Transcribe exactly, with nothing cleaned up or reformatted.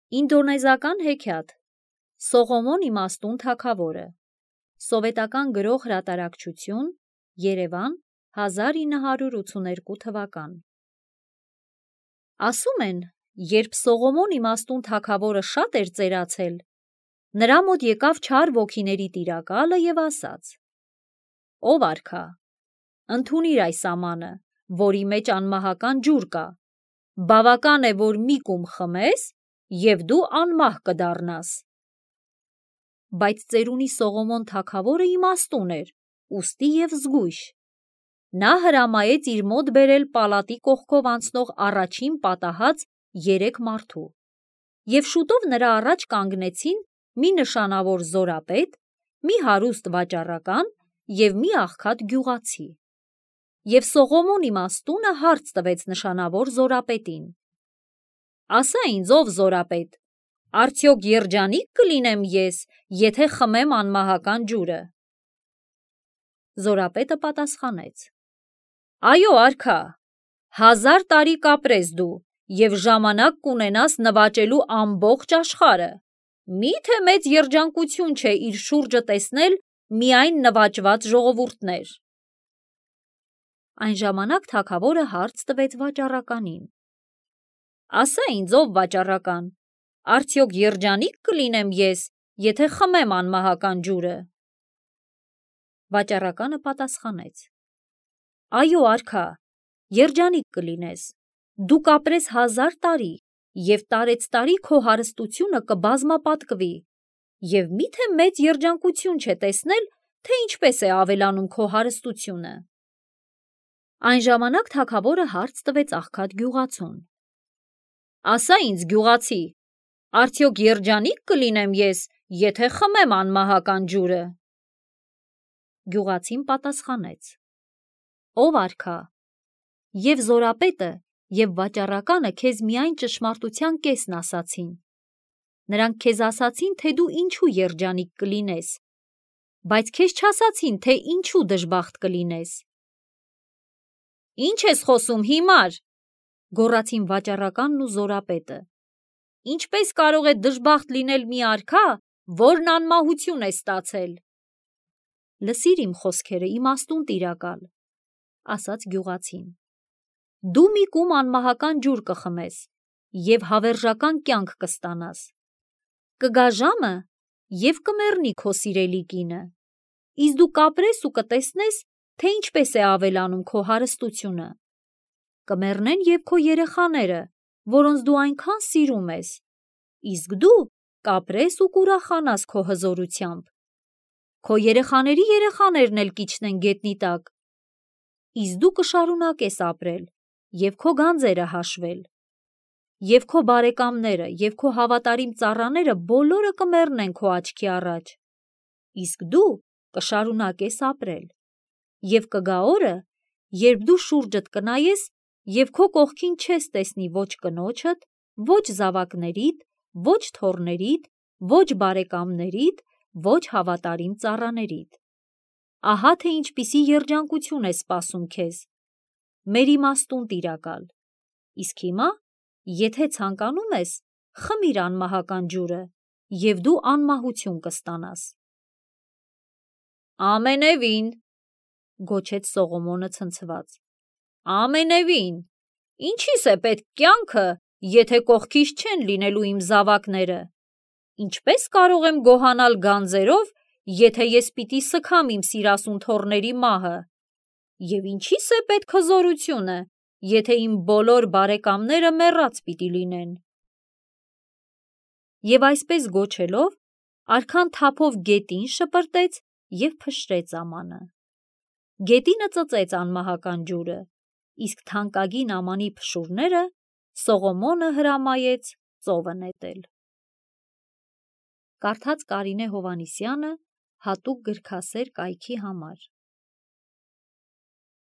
Ինդոնեզական հեքիաթ Սողոմոն իմաստուն թագավորը Սովետական գրող հրատարակչություն Երևան հազար ինը հարյուր ութսուներկու թվական Ասում են, երբ Սողոմոն իմաստուն թագավորը շատ էր ծերացել, նրա մոտ եկավ չար ոգիների տիրակալը և ասաց. Ով արքա, ընդունիր այս ամանը, որի մեջ անմահական ջուր կա, բավական է, որ մի կում խմես, և դու անմահ կդառնաս։ Բայց ծերունի Սողոմոն թագավորը իմաստուն էր, ուստի և զգույշ։ Նա հրամայեց իր մոտ բերել պալատի կողքով անցնող առաջին պատահած երեք մարդու, և շուտով նրա առաջ կանգնեցին մի նշանավոր զորապետ, մի հարուստ վաճառական և մի աղքատ գյուղացի։ Եվ Սողոմոն իմաստունը հարց տվեց նշանավոր զորապետին. Ասա ինձ, ով զորապետ, արդյոք երջանիկ կլինեմ ես, եթե խմեմ անմահական ջուրը։ Զորապետը պատասխանեց. Այո, արքա, հազար տարի կապրես դու և ժամանակ կունենաս նվաճելու ամբողջ աշխարհը, մի՞թե մեծ երջանկություն չէ իր շուրջը տեսնել միայն նվաճված ժողովուրդներ։ Այն ժամանակ թագավորը հարց տվեց վաճառականին. Ասա ինձ, ով վաճառական, արդյոք երջանիկ կլինեմ ես, եթե խմեմ անմահական ջուրը։ Վաճառականը պատասխանեց. Այո, արքա, երջանիկ կլինես, դու կապրես հազար տարի և տարեցտարի քո հարստությունը կբազմապատկվի, և մի՞թե մեծ երջանկություն չէ տեսնել, թե ինչպես է ավելանում քո հարստությունը։ Այն ժամանակ թագավորը հարց տվեց աղքատ գյուղացուն. Ասա ինձ, գյուղացի, արդյոք երջանիկ կլինեմ ես, եթե խմեմ անմահական ջուրը։ Գյուղացին պատասխանեց. Ով արքա, և զորապետը, և վաճառականը քեզ միայն ճշմարտության կեսն ասացին։ Նրանք քեզ ասացին, թե դու ինչու երջանիկ կլինես, բայց քեզ չասացին, թե ինչու դժբախտ կլինես։ Ինչ ես խոսում հիմար, գոռացին վաճառականն ու զորապետը։ Ինչպես կարող է դժբախտ լինել մի արքա, որն անմահություն է ստացել։ Լսիր իմ խոսքերը, իմաստուն տիրակալ, ասաց գյուղացին։ Դու մի կում անմահական ջուր կխմես և հավերժական կյանք կստանաս։ Կգա ժամը, և կմեռնի քո սիրելի կինը, իսկ դու կապրես ու կտեսնես, թե ինչպես է ավելանում քո հարստությունը։ Կմեռնեն և քո երեխաները, որոնց դու այնքան սիրում ես, իսկ դու կապրես ու կուրախանաս քո հզորությամբ։ Քո երեխաների երեխաներն էլ կիջնեն գետնի տակ, իսկ դու կշարունակես ապրել և քո գանձերը հաշվել։ Եվ քո բարեկամները և քո հավատարիմ ծառաները բոլորը կմեռնեն քո աչքի առաջ, իսկ դու կշարունակես ապրել։ Եվ կգա օրը, երբ դու շուրջդ կնայես և քո կողքին չես տեսնի ոչ կնոջդ, ոչ զավակներիդ, ոչ թոռներիդ, ոչ բարեկամներիդ, ոչ հավատարիմ ծառաներիդ։ Ահա թե ինչպիսի երջանկություն է սպասում քեզ, մեր իմաստուն տիրակալ։ Իսկ հիմա, եթե ցանկանում ես, խմիր անմահական ջուրը, և դու անմահություն կստանաս։ Ամենևին, գոչեց Սողոմոնը ցնցված, ամենևին, ինչի՞ս է պետք կյանքը, եթե կողքիս չեն լինելու իմ զավակները։ Ինչպես կարող եմ գոհանալ գանձերով, եթե ես պիտի սգամ իմ սիրասուն թոռների մահը, և ինչի՞ս է պետք հզորությունը, եթե իմ բոլոր բարեկամները մեռած պիտի լինեն։ Եվ այսպես գոչելով, արքան թափով գետին շպրտեց և փշրեց ամանը։ Գետինը ծծեց անմահական ջուրը, իսկ թանկագին ամանի փշուրները Սողոմոնը հրամայեց ծովը նետել։ Կարդաց Կարինե Հովհաննիսյանը հատուկ գրքասեր կայքի համար։